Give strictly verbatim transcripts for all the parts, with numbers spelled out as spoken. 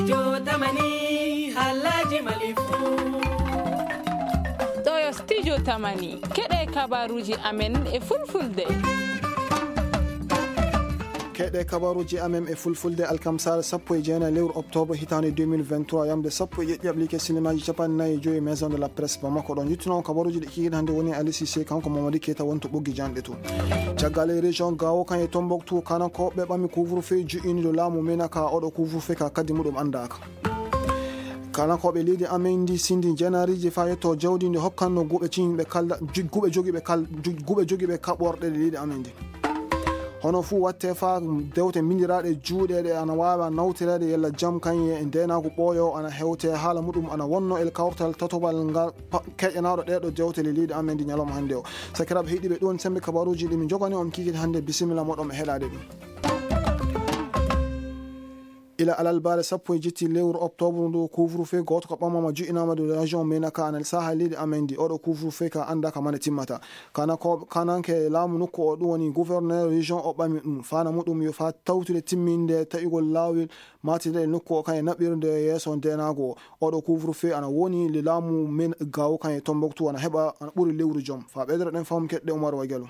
Jotamani, halaji malifu. Ɗo yo studio Tamani. Keɗe kabaruji amen e fulfulde. Keɗe kabaruji amen e fulfulde, alkamsare sappo e jeenayi lewru octobre hitaande deux mille vingt-trois, yamde sappo e jeɗɗi ablike sinemaji capanɗe nayi e joyi Maison de la Presse Bamako. Ɗon yettuno on kabaruji ɗi kikiɗe hannde woni Ali Cissé, kanko Mamadi Keita wonto ɓoggi janɗe to. Caggal e région Gao kan e Tombouctou, Kanakoɓe ɓami couvre-feu ju'iniɗo laamu Menaka, oɗo couvre-feu ka kaddi muɗum anndaka. Kanakoɓe leydi amen ndi sindi njenariji fa yetto jawdi ndi hokkanno guɓe ciñɓe kalda, ju-, guɓe jogiiɓe kal-, ju-, guɓe jogiiɓe kaɓorɗe ɗe leydi amen ndi. Hono fuu watte fa dewte mbindiraaɗe juuɗe ɗe ana waawa nawtireede yalla jam kañum e ndeenaagu ɓooyo ana hewte haala muɗum ana wonno e kawtal tatobal ngal pa-, keƴanaaɗo ɗeeɗo dewte le leydi amen ndi ñalawma hannde o. Sakiraaɓe heɗiiɓe, ɗum sembe kabaruuji ɗi min njogani on kikiiɗe hannde. Bisimilla moɗon e heɗaade ɗum. Ila alalbaare sappo e jetti lewru octobre ndu, couvre-feu gooto ko ɓamama ju'inaama dow région Menaka, ana saha leydi amen ndi. Oɗo couvre-feu ka annda ka mane timmata. Kana ko, kananke laamu nokku o, ɗum woni gouverneur région o, ɓami ɗum. Fana muɗum yo fa tawtude timminde taƴugol laawol maatide nokku o, kan e naɓirde yeeso ndeenaagu o. Oɗo couvre-feu ana woni le laamu men Gao kan e Tombouctou ana heɓa, ana ɓuri lewru jom. Fa ɓeydoro ɗen faamu keɗɗe Oumar Wagalo.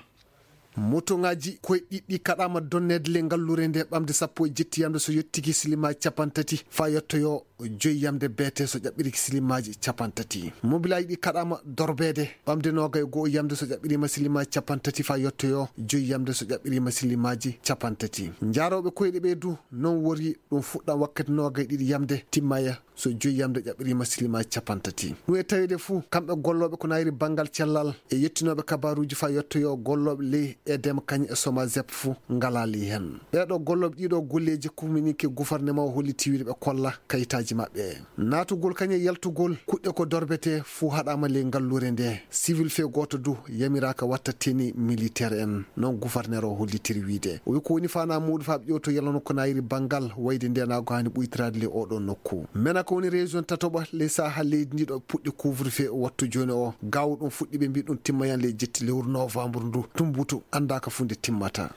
Motoŋaaji koye ɗiɗɗi kaɗaama donneede le ngalluure nde ɓamde sappo e jetti yamde so yottiki silimaji capanɗe tati fa yettoyo joyi yamde beete so ƴaɓɓiriki silimaji capanɗe tati. Mobilaaji ɗi kaɗaama dorbeede ɓamde noogay e go'o yamde so ƴaɓɓirima silimaji capanɗe tati fa yettoyo joyi yamde so ƴaɓɓirima silimaji capanɗe tati. Njaarooɓe koyɗe ɓe du non wori ɗum fuɗɗa wakkati noogay e ɗiɗi yamde timmaya so joyi yamde ƴaɓɓirima silimaji capanɗe tati. Ɗum e taweede fuu, kamɓe gollooɓe ko nayri banngal cellal e yettinooɓe kabaruuji fa yettoyo gollooɓe ley EDEM kañ e SOMAZEP fuu ngalaa ley heen. Ɓeeɗo gollooɓe ɗiɗo golleeji, communiqué gouvernement o holliti wiyde ɓe kolla kayitaaji maɓɓe. Naatugol kañ e yaltugol kuɗɗe ko dorbete fuu haɗaama ley ngalluure nde. Civil fee gooto du yamiraaka watta tenue militaire en, non gouverneur o hollitiri wiyde. O wi ko woni faanaa muuɗum faa ɓe ƴeewto yalano ko nayri banngal wayde ndeenaagu haani ɓuytiraade ley oɗo nokku. Menaka woni région tatoɓa ley saha leydi ndi ɗo puɗɗi couvre-feu o wattu jooni o. Gao ɗum fuɗɗi ɓe mbi ɗum timmayan ley jetti lewru novembre ndu. Tumbutu anndaaka fuu nde timmata.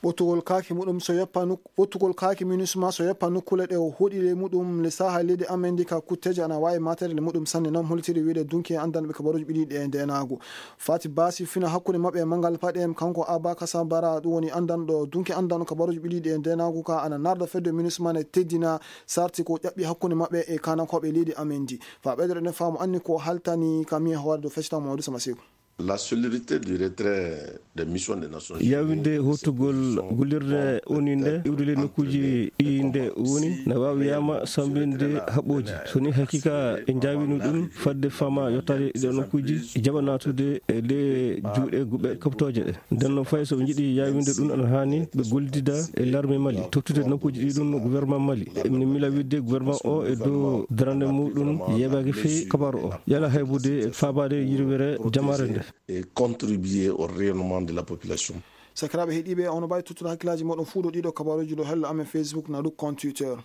Ɓottugol kaaki muɗum so yoppa nuk-, ɓottugol kaaki MINUSMA so yoppa nokkuule ɗe o hoɗi ley muɗum le saha leydi amen ndi ka kutteeje ana waawi maatere le muɗum sanne, non holtiri wiyde dunki e anndanɓe kabaruuji ɓiɗi ɗe e ndeenaagu. Fati Basi fina hakkunde maɓɓe e Mangal Paɗe, kanko Abba Kasabara, ɗum woni anndanɗo dunki anndanɗo kabaruuji ɓiɗi ɗe e ndeenaagu ka ana narda fedde MINUSMA ne teddina sarti ko ƴaɓɓi hakkunde maɓɓe e kanankooɓe leydi amen ndi. Fa ɓeydere ɗen faamu anni ko haltani kam e hoore dow feccital Mamadou Sama Seku. La célérité du retrait des missions des Nations Unies, yawinde hootugol gollirde O N U nde iwde ley nokkuuji ɗi nde woni, na waawi wiyaama sambinde haɓɓooji. So ni haqiqa e njaawino ɗum fadde fama yottaade ɗo nokkuuji, jaɓa naatude e ley juuɗe guɓe kaɓtooje ɗe. Nden noon fay so ɓe njiɗi yawinde ɗum, ana haani ɓe gollidida e larme Mali, tottude nokkuuji ɗi ɗum gouvernement Mali. Emi mila wiide gouvernement o e dow darande muɗum yeeɓaaki fii kabaru o. Yala haybude e faabaade yirwere jamaare nde. Et contribuer au rayonnement de la population. Sakiraaɓe heɗiiɓe, ono mbawi tottude hakkillaaji moɗon fuu ɗo ɗiɗo kabaruuji ɗo hello amen Facebook na ɗum compte Twitter.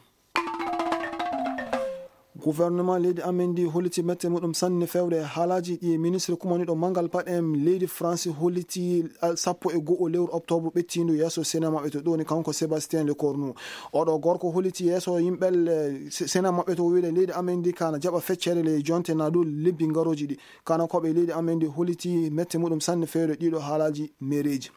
Gouvernement leydi amen ndi holliti mette muɗum sanne fewde e haalaaji ɗi e ministre kumaniɗo Mangal Paɗe en leydi France holliti, ah, sappo e go'o lewru octobre ɓettiindu yeeso Sénat maɓɓe to ɗoni kanko Sébastien Lecornu. Oɗo gorko holliti yeeso yimɓe, eh, Se-, Sénat maɓɓe to wiide leydi amen ndi kana jaɓa feccere le jonte na dow lebbi ngarooji ɗi. Kanankooɓe leydi amen ndi holliti mette muɗum sanne fewde ɗiɗo haalaaji mereeji.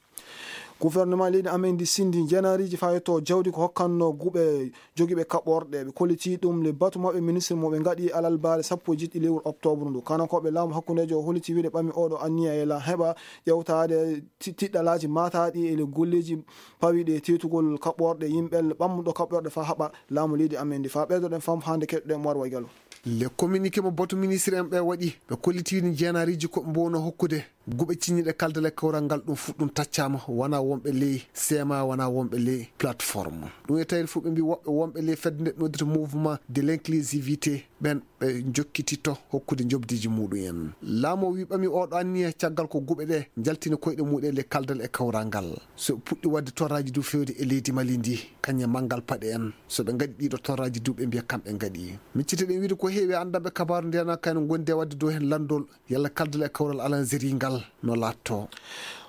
Gouvernement leydi amen ndi sindi njenaariji fa yetto jawdi ko hokkanno guɓe jogiiɓe kaɓorɗe. Ɓe kolliti ɗum le batu maɓɓe ministre mo ɓe ngaɗi alalbaare sappo e jeɗɗi lewru octobre ndu. Kanankooɓe laamu hakkundeejo o holliti wiide ɓami oɗo anniya e la heɓa ƴewtaade ti-, tiɗɗalaaji maataaɗi e le golleeji pawiiɗi e teetugol kaɓorɗe yimɓe ɓammuɗo kaɓorɗe fa haɓa laamu leydi amen ndi. Fa ɓeydoɗen fam hannde keɗoɗen Umar Waygalo. Le communiqué mo batu ministre en ɓe waɗi, ɓe kolliti njenaariji ko ɓe mbowno hokkude. Guɓe ciññiɗe kaldal e kawral ngal ɗum fuɗɗum taccaama, wona wonɓe ley seema, wona wonɓe ley plateforme. Ɗum e tawde fof ɓe mbi woɓɓe wonɓe ley fedde nde noddita mouvement de l'inclusivité, ɓen ɓe jokkititto hokkude njoɓdiiji muɗum en. Laamu o wi ɓami oɗo anniya caggal ko guɓe ɗe njaltini koyɗe muɗum e ley kaldal e kawral ngal. So ɓe puɗɗi waɗde torraji du fewde e leydi Mali ndi, kañum e Mangal Paɗe en, so ɓe ngaɗi ɗiɗo torraji du ɓe mbiya kamɓe ngaɗi. Miccite ɗen wiide ko heewi anndanɓe kabaaru nde na kayno gondi e waɗde dow hen lanndol. Yalla kaldal e kawral alanzeri ngal no laatto.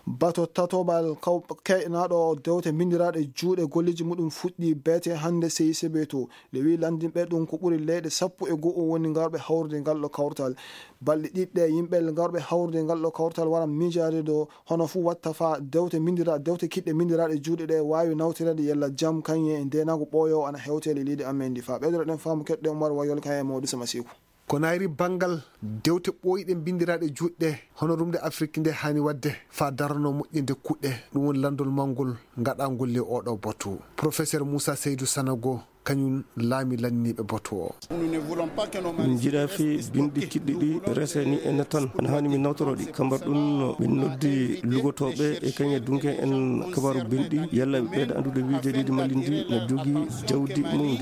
Bato tatoɓal kaw-, keynaaɗo dewte mbinndiraaɗe juuɗe golleeji muɗum fuɗɗi beete hannde C I C B to. Le wi lanndinɓe ɗum ko ɓuri leyɗe sappo e go'o woni ngarɓe hawrude ngal ɗo kawtal. Balɗe ɗiɗi ɗe yimɓe ngarɓe hawrude ngal ɗo kawtal wara miijaade ɗo hono fuu watta faa dewte mbinndiraa-, dewte kiɗɗe mbinndiraaɗe juuɗe ɗe waawi nawtireede yalla jam kañum e ndeenaagu ɓooyoowo ana hewtee e leydi amen ndi. Faa ɓeydoreɗen faamu keɗɗen Umar Wayol kañum e Mawɗo Sama Seeku. Ko nayri banngal dewte ɓooyɗe mbinndiraaɗe juuɗe hono rumde Afrik nde haani waɗde faa darano moƴƴinde kuɗɗe, ɗum woni lanndol mawngol ngaɗaangol ley oɗo batu. Professeur Moussa Seydou Sanogo, kañum laami lanniiɓe batu o. Min njiɗaa fii binɗi kiɗɗi ɗi rese ni ene tan, ene haani min nawtoro ɗi. Kambar ɗum min noddi lugotooɓe e kañe dunke en kabaaru binɗi, yalla ɓe ɓeyda anndude wiide leydi Mali ndi no jogii jawdi mum ndi.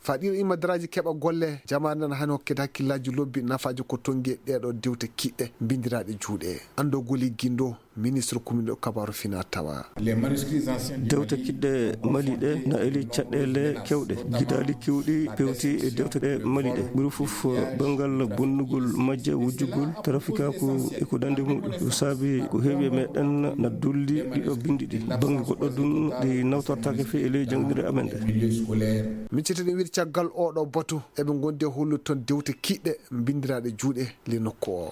Faa ɗiɗo imadaraaji keɓa golle, jamaare nan haani hokkede hakkillaaji lobbi nafaaji ko tonngi e ɗeeɗo dewte kiɗɗe mbinndiraaɗe juuɗe. Anndogol e gindo, ministre kumiɗo kabaaru fina tawa. Dewte kiɗɗe Mali ɗe na eli caɗeele kewɗe. Gidaali kewɗi pewti e dewte ɗe Mali ɗe. Ɓuri fof banngal bonnugol majje, wujjugol, trafikaaku e ko nandi muɗum. Ɗum saabi ko heewi e meɗen na dulli ɗiɗo binndi ɗi. Bannge goɗɗo ɗum ɗi nawtortaake fii e ley jannginirɗe amen ɗe. Min cittiri wiide caggal oɗo batu, eɓe ngondi e hollude toon dewte kiɗɗe mbinndiraaɗe juuɗe ley nokku o.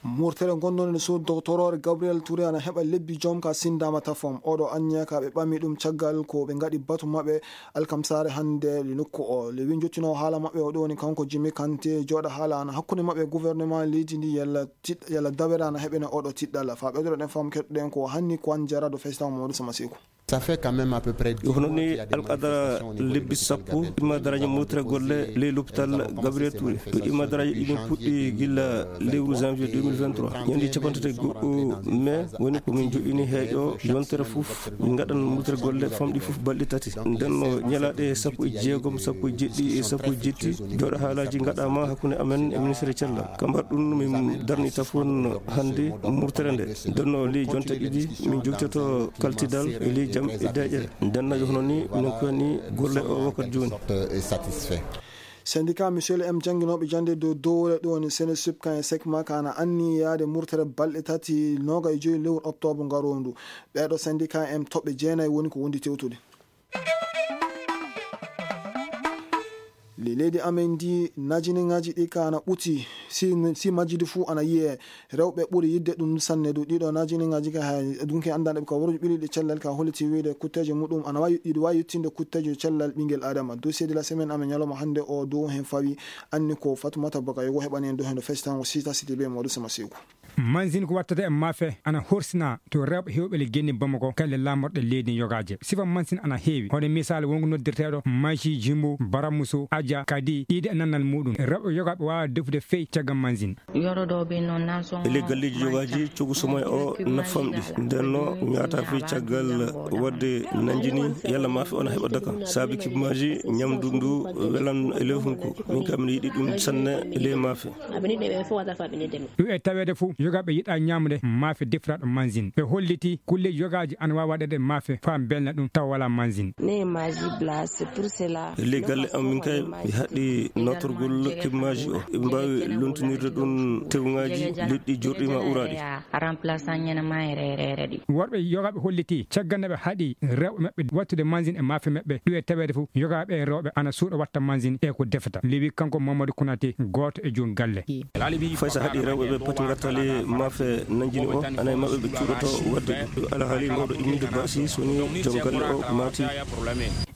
Murtere ngonnoonde suudu doctorore Gabriel Touré ana heɓa lebbi joom ka sindaama tafom. Oɗo anniya ka ɓe ɓami ɗum caggal ko ɓe ngaɗi batu maɓɓe alkamsaare hannde le nokku o. Le wi njottinoo haala maɓɓe o ɗo woni kanko Jimmy Kanté jooɗa haala ana hakkunde maɓɓe gouvernement leydi ndi yalla tiɗ-, yalla dawere ana heɓene oɗo tiɗɗal. Faa ɓeydoreɗen faamu keɗɗen ko hanni ko an jaraɗo festan Mamadou Sama Seeku. Ça fait quand même à peu près dix Hono ni alqadara lebbi sappo imma daraaji murtira golle ley lopital Gabriel Touré. To imma daraaji ɗi min puɗɗi gilla lewru janvier deux mille vingt-trois. Ñande capanɗe tati go'o mai woni ko min joɗɗini heeƴo yontere fof. Min ngaɗan murtira golle famɗi fof balɗe tati. Nden no ñalaaɗe sappo e jeegom, sappo e jeɗɗi e sappo e jetti jooɗo haalaaji ngaɗaama hakkunde amen e ministre cellal. Kambar ɗum min darni tafon hannde murtere nde. Nden no ley jonte ɗiɗi min jogitoto kaltidal e ley jam e deƴere. Nden no hono ni minen koyni golle o wakkati jooni. Syndicat Michel M jannginooɓe jannde dow dowre ɗo woni Senesub kan e Sekma kan ana anni yaade murtere balɗe tati noga e joyi lewru octobre ngaroondu. Ɓeeɗo syndicat M toɓɓe jeenayi woni ko wondi tewtude. Le leydi amen ndi najiniŋaaji ɗi ka ana ɓuti si, si majjidi fuu ana yiyee. Rewɓe ɓuri yidde ɗum sanne du. Ɗiɗo najiniŋaaji ka hay dunki anndanɗe ɓe ka worji ɓiliɗi cellal ka holliti wiide kutteeje muɗum ana wawi, ɗiɗi wawi yettinde kutteeje cellal ɓingel Adama. Dossier de la semaine amen ñalawma hannde o dow hen fawi anni ko Fatumata Baka Yogo heɓani en dow hen ɗo fesitango sita siti be Mawɗo Sama Seeku. Mansin ko wattata e maafe ana horsina to rewɓe heewɓe le genni Bamako kalle laamorɗe leydi yogaaje. Sifa mansin ana heewi. Hono misaal wonko noddirteeɗo Mashi Jimbo, Baramuso, Aja, Kadi, Ida e nannal muɗum. Rewɓe yogaaɓe waawa defude fey caggal mansin. Ele galleeji yogaaji cogu somoy o na famɗi. Nden no ñaata fii caggal waɗde nanjini yalla maafe on heɓa daka. Saabi kibmaaji ñamdu ndu welan e ley hunko. Min kam mi yiɗi ɗum sanne e ley maafe. Ɗum e taweede fof, yogaaɓe yiɗaa ñaamde maafe defiraaɗo mansin. Ɓe holliti kulleeji yogaaji ana waawi waɗeede maafe faa mbelna ɗum tawa walaa mansin. E ley galle am min kay, mi haɗi nawtorgol kibmaaji o. Eɓe mbaawi lontinirde ɗum tewŋaaji, liɗɗi jorɗi ma uraaɗi. Worɓe yogaaɓe holliti caggal nde ɓe haɗi rewɓe maɓɓe wattude mansin e maafe maɓɓe. Ɗum e taweede fof, yogaaɓe e rewɓe ana suuɗa watta mansin e ko defata. Lewi kanko Mamadou Konaté, gooto e joom galle. Fay so haɗi rewɓe ɓe pati ngattali maafe nanjini o, ana e maɓɓe ɓe cuuɗoto waɗde ɗum. Alhaali mawɗo imminde baasi so woni joom galle o maati.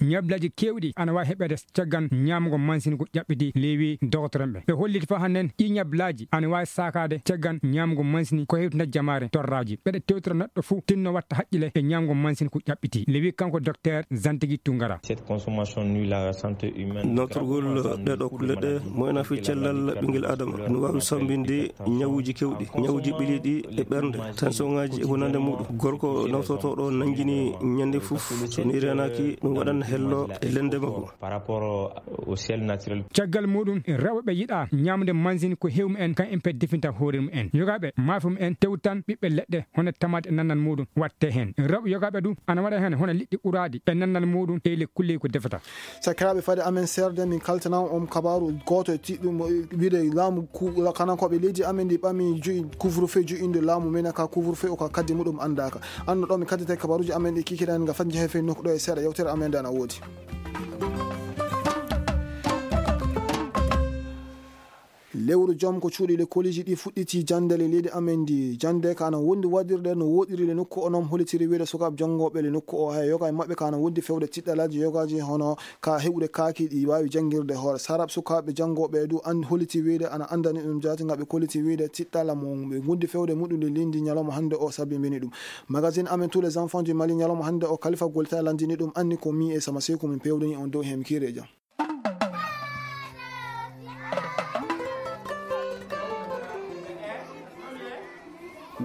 Ñablaaji keewɗi ana waawi heɓeede caggal ñaamgo mansin ko ƴaɓɓiti lewi dogotoren ɓe. Ɓe holliti faa hannden ɗi ñablaaji ana waawi saakaade caggal ñaamgo mansin ko hewtinta jamaare torraaji. Ɓeɗe tewtora neɗɗo fuu tinno watta haqqile e ñaamgo mansin ko ƴaɓɓiti. Lewi kanko docteur Zantigi Tungara. Cette consommation nuit la santé humaine. Nawtorgol ɗeɗo kulle ɗe moyna fii cellal ɓingel Adama. No waawi sambinde ñawuuji kewɗi, ñawuuji ɓiliiɗi e ɓernde, tension ŋaaji e ko nande muɗum. Gorko nawtotooɗo nanjini ñande fof, so ni reenaaki, ɗum waɗan Hello e lende makko. Par rapport au ciel naturel. Caggal muɗum, rewɓe yiɗa ñamde mansin ko heewi mumen, kan en pet definta hoore mumen. Yogaaɓe maafe mumen tewtan ɓiɓɓe leɗɗe, hono tamaate e nannal muɗum watte heen. Rewɓe yogaaɓe du ana waɗa heen hono liɗɗi ɓuraaɗi e nannal muɗum e le kulleeji ko defata. Sakiraaɓe, fade amen seerde, min kaltana on kabaaru gooto e tiɗɗum, mo wiide laamu ku-, kanankooɓe leydi amen ndi ɓami ju'i couvre-feu, ju'inde laamu men ka couvre-feu o ka kaddi muɗum anndaaka. Anno ɗo min kaddete kabaaruuji amen ɗi kikiɗen nga fadde jehe fey nokku ɗo e seeɗa yewtere amen nde ana woodi. Lewru jom ko cuuɗi le koliji ɗi fuɗɗiti jannde le leydi amen ndi. Jannde ka ana wondi waɗirde no woɗiri le nokku o, noon holitiri wiide sukaaɓe janngooɓe le nokku o, hay yoga e maɓɓe ka ana wondi fewde tiɗɗalaaji yogaaji hono ka heɓude kaaki ɗi waawi janngirde hoore. Sarab sukaaɓe janngooɓe du an holiti wiide ana anndani ɗum jaati nga ɓe koliti wiide tiɗɗala mo ɓe wondi fewde muɗum le lindi ñalawma hannde o sabi mbini ɗum. Magazine amen tous les enfants du Mali ñalawma hannde o Khalifa Golta landini ɗum anni ko mi e sama seyku min pewdani on dow heen kiire jam.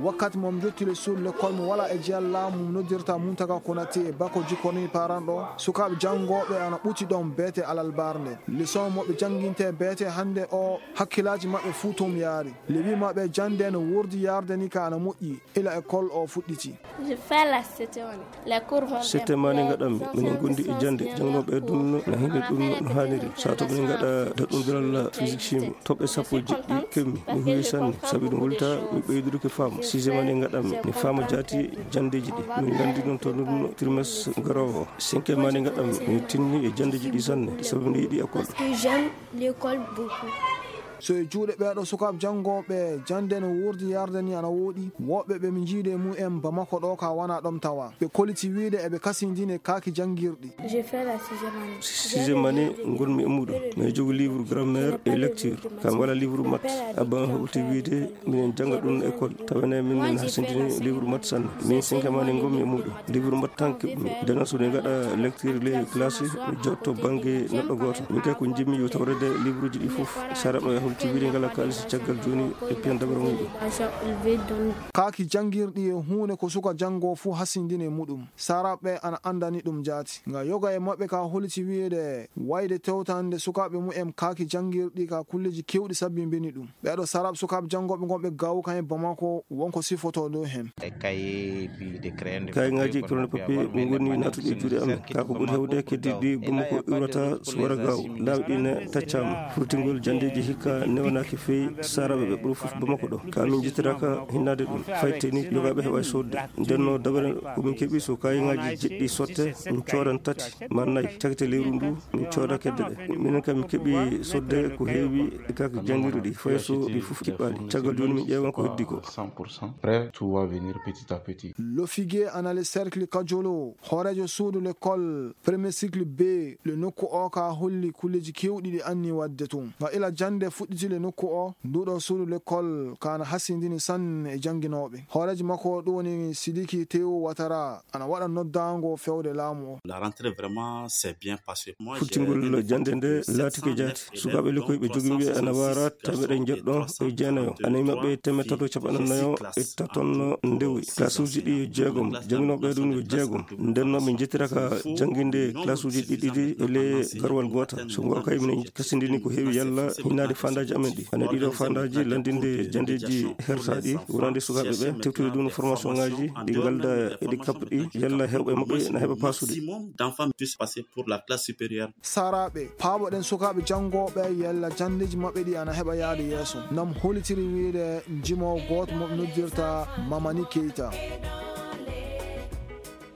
Wakkati mo mi jotti le suudu lekkol mo wala e jeyal laamu mo noddirta Muntaga Konate e Bako Jikoni paranɗo, sukaaɓe janngooɓe ana ɓuti ɗon beete alalbarnde. Leçon mo ɓe jannginte beete hannde o hakkilaaji maɓɓe fuu toon yaari. Le wi maɓɓe jannde no wordi yarde ni ka ana moƴƴi ila école o fuɗɗiti. Je fais la C T M. Les cours vont bien. Sette mani ngaɗammi, minen gondi e jannde, jannginooɓe e dunno na hinde ɗum no haaniri. Sato minen ngaɗa daɗɗundiral physique chimie, toɓɓe sappo e jeɗɗi kemmi, mi huwi sanne, sabi ɗum wulta mi ɓeydude ko faamu. Sixième année ngaɗammi, mi faama jaati janndeeji ɗi. Min nganndi noon to ɗum trimestre garoowo o. Cinquième année ngaɗammi, mi tinni e janndeeji ɗi sanne, sabi mi yiɗi école. Parce que j'aime l'école beaucoup. So e juuɗe ɓeeɗo sukaaɓe janngooɓe, jannde no wuurdi yarde ni ana wooɗi. Woɓɓe ɓe mi njiide mum en Bamako ɗo ka wana ɗom tawa. Ɓe koliti wiide eɓe kasindine kaaki janngirɗi. Je fais la sixième année. Sixième année ngonmi e muɗum. Mais jogo livre grammaire et lecture. Kam wala livre maths. Abba hawti wiide minen jannga ɗum école. Tawa ne min hasindini livre maths sanne. Min cinquième année ngonmi e muɗum. Livre maths tan keɓmi. Dena so mi ngaɗa lecture les classes, mi jotto bannge neɗɗo gooto. Min kay ko njimmi yo tawrede livre ji ɗi fof. Sara ɗo e holti wiide ngala kaalis caggal jooni e piyan dabara muɗum. Kaaki janngirɗi e huunde ko suka janngo fuu hasindini e muɗum. Saraɓe ana anndani ɗum jaati. Nga yoga e maɓɓe ka holiti wiide wayde tewtande sukaaɓe mumen kaaki janngirɗi ka kulleji kewɗi sabbi mbini ɗum. Ɓeɗo sarab sukaaɓe janngooɓe ngonɓe gaw kan e Bamako wonko sifoto dow hen. Kayŋaaji coronapapier min ngoni natuɗi e juuɗe amen. Ka ko ɓuri hewde keddiɗi Bamako iwrata so wara gaw. Laawi ɗi ne taccama. Furtingol janndeeji hikka newanaaki feyi saraɓe ɓe ɓuri fof Bamako ɗo. Ka min jittiraka hinnade ɗum. Fayte ni yogaaɓe heɓa sodde. Ndenno dabare ko min keɓi so kayŋaaji jeɗɗi sotte, min coodan tati ma nayi. Cagte lewru ndu, min cooda kedde ɗe. Minen kam min keɓi sodde ko heewi e kaaki janngirɗi ɗi, fay so ɗi fof kiɓɓaali. Caggal jooni min ƴeewan ko heddi ko. Cent pour cent. Prêt, tout va venir petit à petit. Lofige ana le cercle Kajolo, hooreejo suudu l'école premier cycle B, le nokku o ka holli kulleji kewɗi ɗi anni wadde tun. Nga ila jannde fuɗɗiti le nokku o, nduɗo suudu l'école ka ana hasindini sanne e jannginooɓe. Hooreejo makko ɗum woni Sidiki Tewu Watara. Ana waɗa noddaango fewde laamu o. La rentrée vraiment s'est bien passée. Moi, j'ai Futtingol jannde nde laatike jaati. Sukaaɓe lekkoy ɓe jogiiɓe ana waara teemeɗe njeɗɗo e jeenayo. Ana e maɓɓe teemeɗe tato capanɗe nayo e tatonno ndewoy. Classe uji ɗi yo jeegom. Jannginooɓe ɗum yo jeegom. Nden noon min njettiraka jannginde classe uji ɗiɗi ɗi e le garwal gootal. So ngo kay minen kasindini ko heewi yalla hinnaade fandaaji amen ɗi. Ana ɗiɗo fandaaji lanndinde janndeeji hertaaɗi wonande sukaaɓe ɓe, tewtude ɗum formation ŋaaji ɗi ngalda e ɗi kaɓɗi, yalla heewɓe maɓɓe na heɓa paasude. Maximum d'enfants puissent passer pour la classe supérieure. Saraaɓe, paaboɗen sukaaɓe janngooɓe yalla janndeeji maɓɓe ɗi ana heɓa yaade yeeso. Nam holitiri wiide njimo gooto mo ɓe noddirta Mamani Keita.